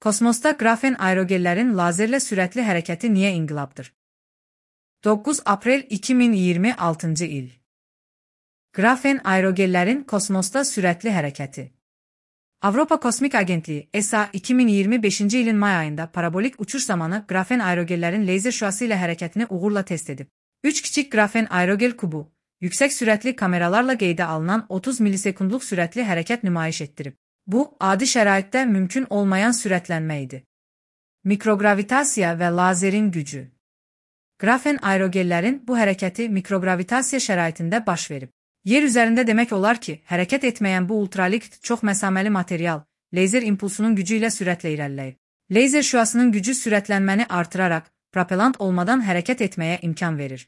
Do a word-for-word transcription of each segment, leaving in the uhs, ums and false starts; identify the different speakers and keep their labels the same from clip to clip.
Speaker 1: Kosmosda qrafen aerogellərin lazerlə sürətli hərəkəti niyə inqilabdır? doqquz aprel iki min iyirmi altıncı il. Qrafen aerogellərin kosmosda sürətli hərəkəti. Avropa Kosmik Agentliyi E S A iki min iyirmi beşinci ilin may ayında parabolik uçuş zamanı qrafen aerogellərin leyzer şüası ilə hərəkətini uğurla test edib. üç kiçik qrafen aerogel kubu, yüksək sürətli kameralarla qeydə alınan otuz millisekundluq sürətli hərəkət nümayiş etdirib. Bu, adi şəraitdə mümkün olmayan sürətlənmə idi. Mikrogravitasiya və lazerin gücü. Qrafen aerogellərin bu hərəkəti mikrogravitasiya şəraitində baş verib. Yer üzərində demək olar ki, hərəkət etməyən bu ultralikt çox məsaməli material, leyzer impulsunun gücü ilə sürətlə irəliləyir. Leyzer şüasının gücü sürətlənməni artıraraq, propelant olmadan hərəkət etməyə imkan verir.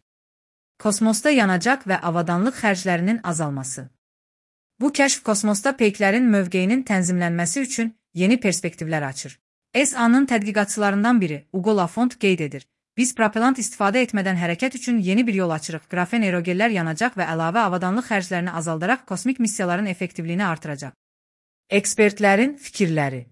Speaker 1: Kosmosda yanacaq və avadanlıq xərclərinin azalması. Bu kəşf kosmosda peyklərin mövqeyinin tənzimlənməsi üçün yeni perspektivlər açır. E S A-nın tədqiqatçılarından biri Ugo Lafont qeyd edir. Biz propelant istifadə etmədən hərəkət üçün yeni bir yol açırıq. Qrafen aerogellər yanacaq və əlavə avadanlıq xərclərini azaldaraq kosmik missiyaların effektivliyini artıracaq. Ekspertlərin fikirləri.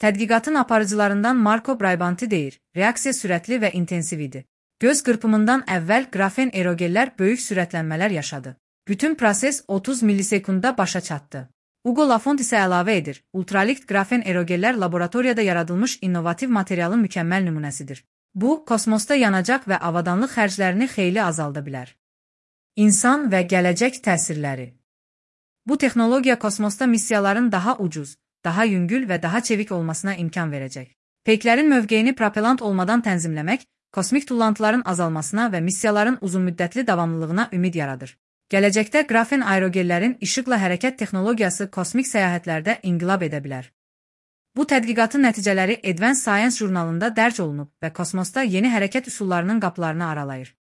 Speaker 1: Tədqiqatın aparıcılarından Marco Braibanti deyir, reaksiya sürətli və intensiv idi. Göz qırpımından əvvəl qrafen aerogellər böyük sürətlənmələr yaşadı. Bütün proses otuz millisekundda başa çatdı. Ugo Lafont isə əlavə edir, ultralikt qrafen aerogellər laboratoriyada yaradılmış innovativ materialın mükəmməl nümunəsidir. Bu, kosmosda yanacaq və avadanlıq xərclərini xeyli azalda bilər. İnsan və gələcək təsirləri. Bu texnologiya kosmosda missiyaların daha ucuz, daha yüngül və daha çevik olmasına imkan verəcək. Peyklərin mövqeyini propelant olmadan tənzimləmək, kosmik tullantıların azalmasına və missiyaların uzunmüddətli davamlılığına ümid yaradır. Gələcəkdə qrafen aerogellərin işıqla hərəkət texnologiyası kosmik səyahətlərdə inqilab edə bilər. Bu tədqiqatın nəticələri Advanced Science jurnalında dərc olunub və kosmosda yeni hərəkət üsullarının qapılarını aralayır.